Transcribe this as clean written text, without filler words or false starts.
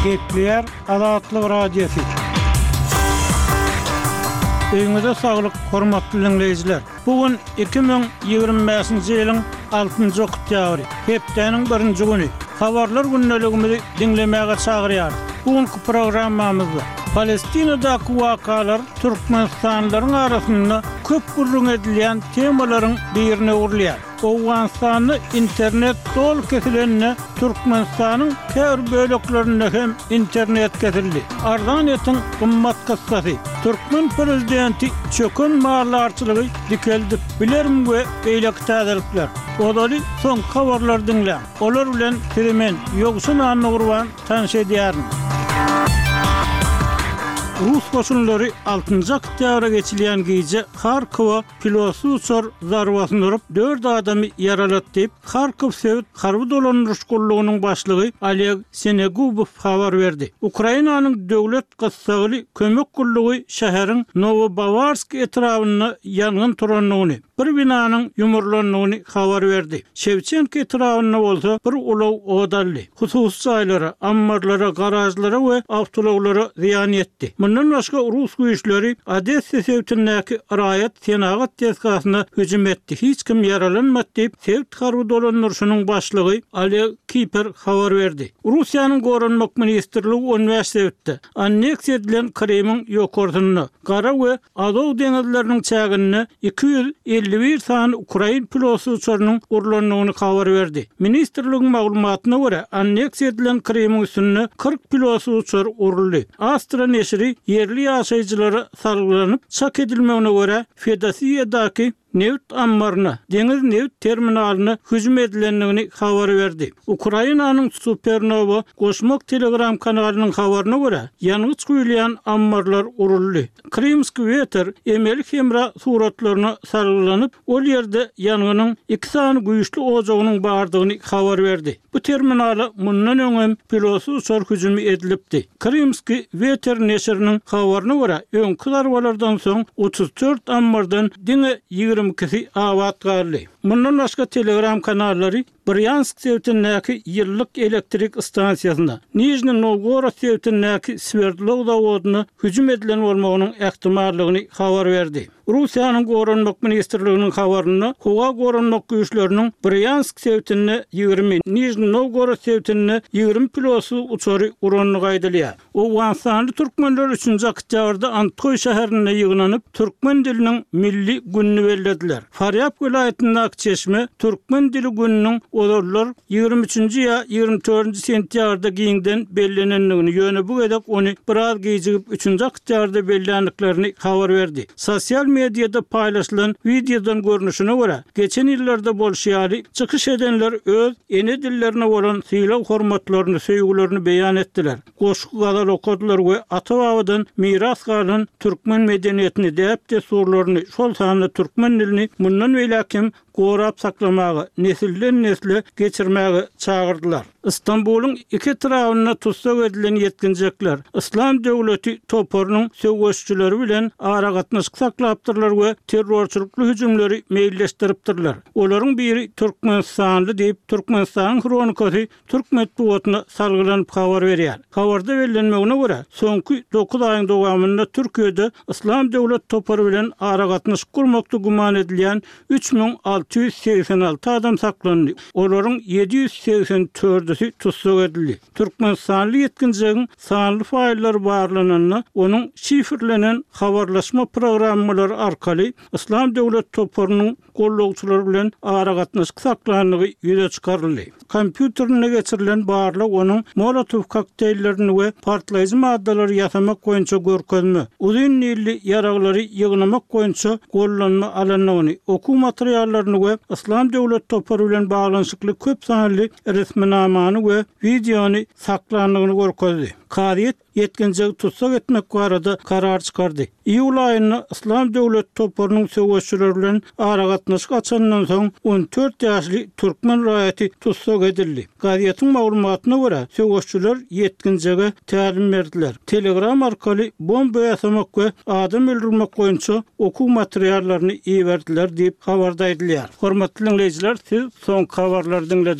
Gepleýär Azatlyk Radiosy. Öýüňize saglyk, hormatly diňleýjiler! Bu gün 2025-nji ýylyň altynjy oktýabry, hepdäniň birinji güni. Habarlar gündeligimizi diňlemäge çagyrýarys. Bu günki programmamyzda Palestinadaky wakalar türkmenistanlylaryň arasynda köp gürrüň edilýän temalaryň birine öwrülýär. Owganystanda internet doly kesilende Türkmenistanyň käbir böleklerinde hem internet kesildi. Arzan etiň gymmat kyssasy. Türkmen prezidenti çöken maldarçylygy dikeldip bilermi we beýleki täzelikler. Ozaly soňky habarlary diňläň. Olar bilen sizi men, Ýowşan Annagurban tanyş edýärin. Rus goşunlary altynjy oktýabra geçilýän gije Harkowa Pilotsyz uçar zarbasyny urup, dört adamy ýaralady diýip, Harkow sebit harby dolandyryş gullugynyň başlygy Oleg Senegubow habar berdi. Ukrainanyň döwlet gyssagly kömek gullugy şäheriň Nowobawarsk etrabynda ýangyn turandygyny, bir binanyň ýumrulandygyny habar berdi. Şewçenko etrabynda bolsa bir ulag ot aldy. Hususy jaýlara, ammarlara, garažlara we awtoulaglara zyýan ýetdi. Mundan başga, rus güýçleri Odessa sebitindäki raýat senagat desgasyna hüjüm etdi, hiç kim ýaralanmady diýip, sebit harby dolandyryşynyň başlygy Oleg Kiper habar berdi. Russiýanyň Goranmak ministrligi 15 sebitde, anneksiýa edilen Krymyň ýokarsynda, Gara we Azow deňizleriniň çäginde 251 sany ukrain pilotsyz uçarynyň urlandygyny habar berdi. Ministrligiň maglumatyna görä, anneksiýa edilen Krymyň üstünde 40 pilotsyz uçar uruldy. Astra neşiri ýerli ýaşaýjylara salgylanyp, çak edilmegine görä, Fedosiýadaky nebit ammaryna, deňiz nebit terminalyna hüjüm edilendigini habar berdi. Ukrainanyň Supernowa goşmak Telegram kanalynyň habaryna görä, ýangyç guýulýan ammarlar uruldy. Krymskiý weter emeli hemra suratlaryna salgylanyp, ol ýerde ýangynyň iki sany güýçli ojagynyň bardygyny habar berdi. Bu terminala mundan öň hem pilotsyz uçar hüjümi edilipdi. Krymskiý weter neşiriniň habaryna görä, öňki zarbalardan soň 34 ammardan diňe 22-si abat galdy. Mundan başga Telegram kanallary Brýansk sebitindäki ýyllyk elektrik stansiýasyna, Nižniý Nowgorod sebitindäki Swerdlow zawodyna hüjüm edilen bolmagynyň ähtimallygyny habar berdi. Russiýanyň Goranmak ministrliginiň habarynda howa goranmak güýçleriniň Brýansk sebitinde 20, Nižniý Nowgorod sebitinde 20 pilotsyz uçary urandygy aýdylýar. Owganystanly türkmenler üçünji oktýabrda Andhoý şäherinde ýygnanyp, türkmen diliniň milli gününi bellediler. Farýap welaýatyndaky çeşme Türkmen dili gününiň ozallar 23 üçünji ýa 24 nji sentýabrda giňden bellenendigini, ýöne bu gezek ony biraz gijigip üçünji oktýabrda belländiklerini habar berdi. Sosial mediada paýlaşylan wideodan görnüşine görä, geçen ýyllarda bolşy ýaly, çykyş edenler öz ene dillerine bolan sylag-hormatlaryny, söýgülerini beýan etdiler, goşgy-gazal okadylar we ata-babadan miras galan türkmen medeniýetini, däp-dessurlaryny, şol sanda türkmen dilini mundan beýläk hem gorap saklamaga, nesilden-nesle geçirmäge çagyrdylar. Stambulyň iki etrabynda tussag edilen ýetginjekler Yslam döwleti toparynyň söweşijileri bilen aragatnaşyk saklapdyrlar we terrorçylykly hüjümleri meýilleşdiripdirler. Olaryň biri türkmenistanly diýip, Türkmenistanyň Hronikasy türk metbugatyna salgylanyp habar berýär. Habarda bellenmegine görä, soňky dokuz aýyň dowamynda Türkiýede Yslam döwlet topary bilen aragatnaşyk gurmakda güman edilýän 3686 adam saklandy, olaryň 784-üsi tussag edildi. Türkmenistanly ýetginjegiň sanly faýllary barlananda, onuň şifrlenen habarlaşma programmalary arkaly Yslam döwlet toparynyň gollagçylary bilen aragatnaşyk saklandygy ýüze çykaryldy. Kompýuterinde geçirilen barlag onuň Molotow kokteýllerini we partlaýjy maddalary ýasamak boýunça görkezme, uzyn nilli ýaraglary ýygnamak boýunça gollanma alandygyny, okuw materiallaryny we Yslam döwlet topary bilen baglanyşykly köp sanly resminamany we wideony saklandygyny görkezdi. Kazyýet ýetginjegi tussag etmek barada karar çykardy. Iýul aýynda Yslam döwleti toparynyň söweşçileri bilen aragatnaşyk açanyndan soň 14 ýaşly türkmen raýaty tussag edildi. Gazetiň maglumatyna görä, söweşçiler ýetginjege tälim berdiler. Telegram arkaly bomba ýasamak we adam öldürmek boýunça okuw materiallaryny iberdiler diýip, habarda aýdylýar. Hormatly diňleýjiler, siz soňky habarlary diňlediňiz.